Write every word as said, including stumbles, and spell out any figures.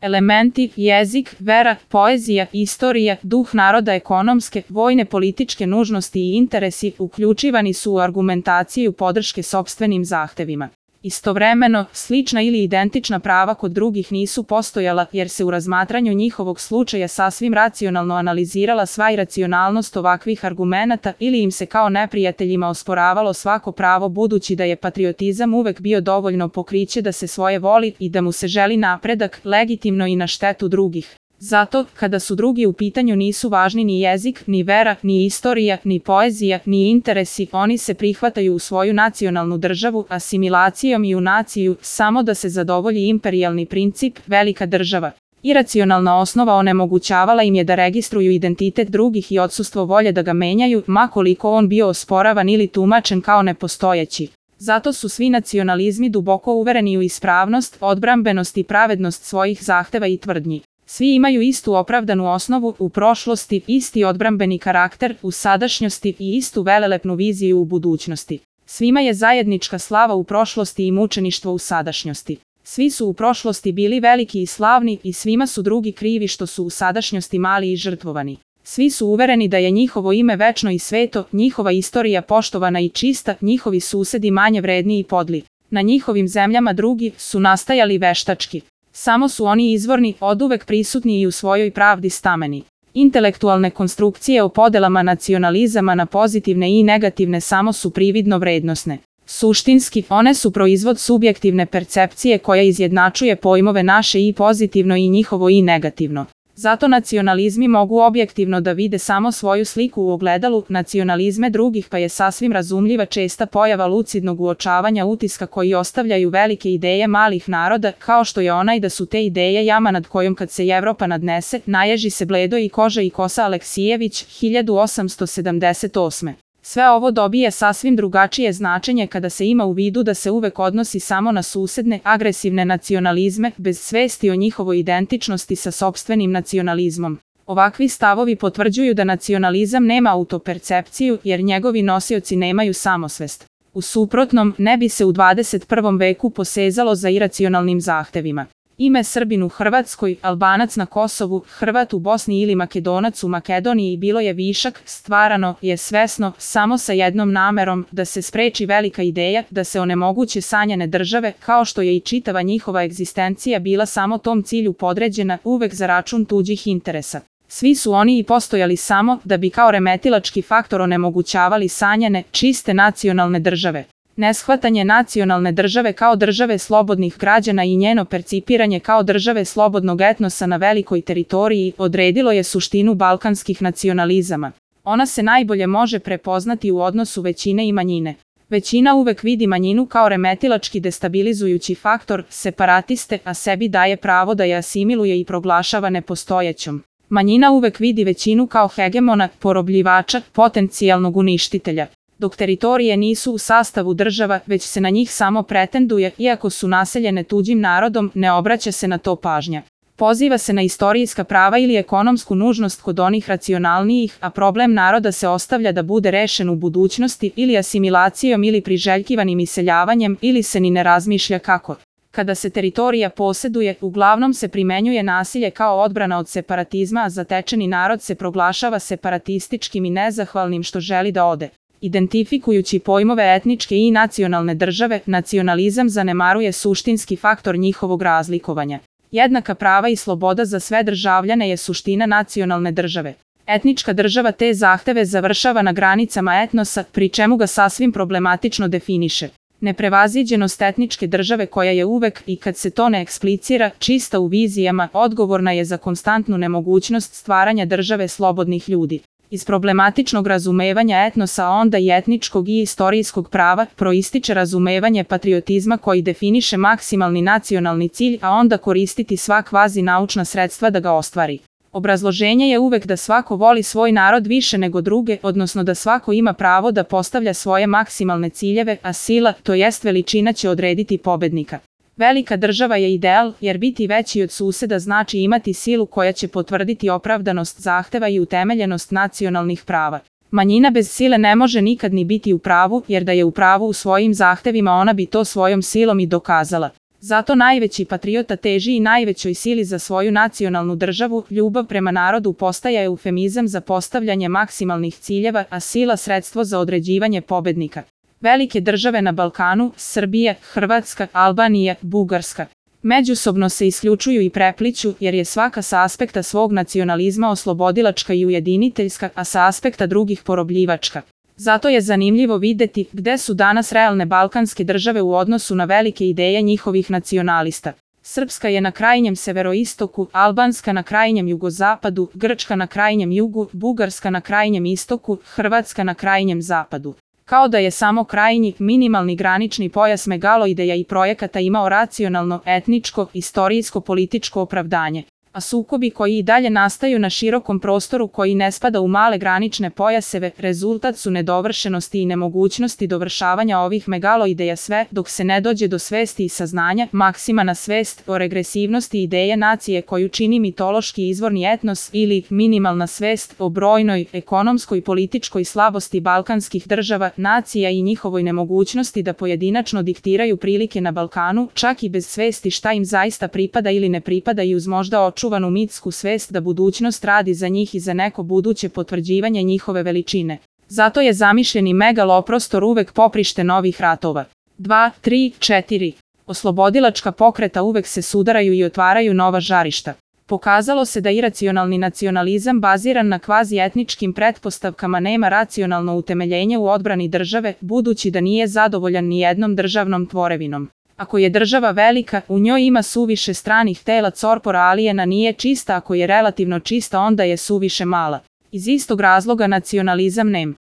Elementi, jezik, vera, poezija, istorija, duh naroda, ekonomske, vojne, političke nužnosti i interesi uključivani su u argumentaciju podrške sopstvenim zahtevima. Istovremeno, slična ili identična prava kod drugih nisu postojala jer se u razmatranju njihovog slučaja sasvim racionalno analizirala sva iracionalnost ovakvih argumenata ili im se kao neprijateljima osporavalo svako pravo budući da je patriotizam uvek bio dovoljno pokriće da se svoje voli i da mu se želi napredak, legitimno i na štetu drugih. Zato, kada su drugi u pitanju nisu važni ni jezik, ni vera, ni istorija, ni poezija, ni interesi, oni se prihvataju u svoju nacionalnu državu, asimilacijom i u naciju, samo da se zadovolji imperijalni princip, velika država. Iracionalna osnova onemogućavala im je da registruju identitet drugih i odsustvo volje da ga menjaju, ma koliko on bio osporavan ili tumačen kao nepostojeći. Zato su svi nacionalizmi duboko uvereni u ispravnost, odbrambenost i pravednost svojih zahteva i tvrdnji. Svi imaju istu opravdanu osnovu u prošlosti, isti odbrambeni karakter u sadašnjosti i istu velelepnu viziju u budućnosti. Svima je zajednička slava u prošlosti i mučeništvo u sadašnjosti. Svi su u prošlosti bili veliki i slavni i svima su drugi krivi što su u sadašnjosti mali i žrtvovani. Svi su uvereni da je njihovo ime večno i sveto, njihova istorija poštovana i čista, njihovi susedi manje vredni i podli. Na njihovim zemljama drugi su nastajali veštački. Samo su oni izvorni, oduvek prisutni i u svojoj pravdi stameni. Intelektualne konstrukcije o podelama nacionalizama na pozitivne i negativne samo su prividno vrednosne. Suštinski, one su proizvod subjektivne percepcije koja izjednačuje pojmove naše i pozitivno i njihovo i negativno. Zato nacionalizmi mogu objektivno da vide samo svoju sliku u ogledalu, nacionalizme drugih pa je sasvim razumljiva česta pojava lucidnog uočavanja utiska koji ostavljaju velike ideje malih naroda, kao što je onaj da su te ideje jama nad kojom kad se Evropa nadnese, naježi se bledo i koža i kosa Aleksijević, hiljadu osamsto sedamdeset osme. Sve ovo dobije sasvim drugačije značenje kada se ima u vidu da se uvek odnosi samo na susedne, agresivne nacionalizme, bez svesti o njihovoj identičnosti sa sopstvenim nacionalizmom. Ovakvi stavovi potvrđuju da nacionalizam nema autopercepciju jer njegovi nosioci nemaju samosvest. U suprotnom, ne bi se u dvadeset prvom veku posezalo za iracionalnim zahtevima. Ime Srbin u Hrvatskoj, Albanac na Kosovu, Hrvat u Bosni ili Makedonac u Makedoniji bilo je višak, stvarano je svesno, samo sa jednom namerom, da se spreči velika ideja, da se onemoguće sanjane države, kao što je i čitava njihova egzistencija bila samo tom cilju podređena, uvek za račun tuđih interesa. Svi su oni i postojali samo da bi kao remetilački faktor onemogućavali sanjane, čiste nacionalne države. Neshvatanje nacionalne države kao države slobodnih građana i njeno percipiranje kao države slobodnog etnosa na velikoj teritoriji odredilo je suštinu balkanskih nacionalizama. Ona se najbolje može prepoznati u odnosu većine i manjine. Većina uvek vidi manjinu kao remetilački destabilizujući faktor, separatiste, a sebi daje pravo da je asimiluje i proglašava nepostojećom. Manjina uvek vidi većinu kao hegemona, porobljivača, potencijalnog uništitelja. Dok teritorije nisu u sastavu država, već se na njih samo pretenduje, iako su naseljene tuđim narodom, ne obraća se na to pažnja. Poziva se na istorijska prava ili ekonomsku nužnost kod onih racionalnijih, a problem naroda se ostavlja da bude rešen u budućnosti ili asimilacijom ili priželjkivanim iseljavanjem ili se ni ne razmišlja kako. Kada se teritorija poseduje, uglavnom se primenjuje nasilje kao odbrana od separatizma, a zatečeni narod se proglašava separatističkim i nezahvalnim što želi da ode. Identifikujući pojmove etničke i nacionalne države, nacionalizam zanemaruje suštinski faktor njihovog razlikovanja. Jednaka prava i sloboda za sve državljane je suština nacionalne države. Etnička država te zahteve završava na granicama etnosa, pri čemu ga sasvim problematično definiše. Neprevaziđenost etničke države koja je uvek, i kad se to ne eksplicira, čista u vizijama, odgovorna je za konstantnu nemogućnost stvaranja države slobodnih ljudi. Iz problematičnog razumevanja etnosa, onda i etničkog i istorijskog prava, proističe razumevanje patriotizma koji definiše maksimalni nacionalni cilj, a onda koristiti sva kvazi naučna sredstva da ga ostvari. Obrazloženje je uvek da svako voli svoj narod više nego druge, odnosno da svako ima pravo da postavlja svoje maksimalne ciljeve, a sila, to jest veličina, će odrediti pobednika. Velika država je ideal, jer biti veći od suseda znači imati silu koja će potvrditi opravdanost zahteva i utemeljenost nacionalnih prava. Manjina bez sile ne može nikad ni biti u pravu, jer da je u pravu u svojim zahtevima ona bi to svojom silom i dokazala. Zato najveći patriota teži i najvećoj sili za svoju nacionalnu državu, ljubav prema narodu postaje eufemizam za postavljanje maksimalnih ciljeva, a sila sredstvo za određivanje pobednika. Velike države na Balkanu, Srbija, Hrvatska, Albanija, Bugarska, međusobno se isključuju i prepliću, jer je svaka sa aspekta svog nacionalizma oslobodilačka i ujediniteljska, a sa aspekta drugih porobljivačka. Zato je zanimljivo videti gde su danas realne balkanske države u odnosu na velike ideje njihovih nacionalista. Srpska je na krajnjem severoistoku, albanska na krajnjem jugozapadu, grčka na krajnjem jugu, bugarska na krajnjem istoku, hrvatska na krajnjem zapadu. Kao da je samo krajnji, minimalni granični pojas megaloideja i projekata imao racionalno, etničko, istorijsko-političko opravdanje. A sukobi koji i dalje nastaju na širokom prostoru koji ne spada u male granične pojaseve, rezultat su nedovršenosti i nemogućnosti dovršavanja ovih megaloideja sve dok se ne dođe do svesti i saznanja, maksimana svest o regresivnosti ideje nacije koju čini mitološki izvorni etnos ili minimalna svest o brojnoj, ekonomskoj i političkoj slabosti balkanskih država, nacija i njihovoj nemogućnosti da pojedinačno diktiraju prilike na Balkanu, čak i bez svesti šta im zaista pripada ili ne pripada i uz možda očuvanu mitsku svest da budućnost radi za njih i za neko buduće potvrđivanje njihove veličine. Zato je zamišljeni megaloprostor uvek poprište novih ratova. dva, tri, četiri. Oslobodilačka pokreta uvek se sudaraju i otvaraju nova žarišta. Pokazalo se da iracionalni nacionalizam baziran na kvazi-etničkim pretpostavkama nema racionalno utemeljenje u odbrani države, budući da nije zadovoljan ni jednom državnom tvorevinom. Ako je država velika, u njoj ima suviše stranih tela, corpora alijena nije čista, ako je relativno čista onda je suviše mala. Iz istog razloga nacionalizam nem.